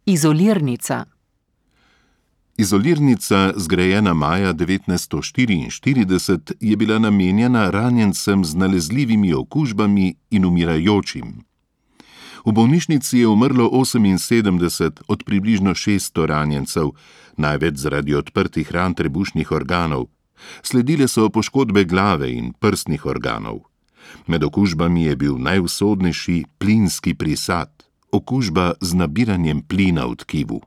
Izolirnica. Izolirnica, zgrajena maja 1944, je bila namenjena ranjencem z nalezljivimi okužbami in umirajočim. V bolnišnici je umrlo 78 od približno 600 ranjencev, največ zaradi odprtih ran trebušnih organov. Sledile so poškodbe glave in prsnih organov. Med okužbami je bil najusodnejši plinski prisad, okužba z nabiranjem plina v tkivu.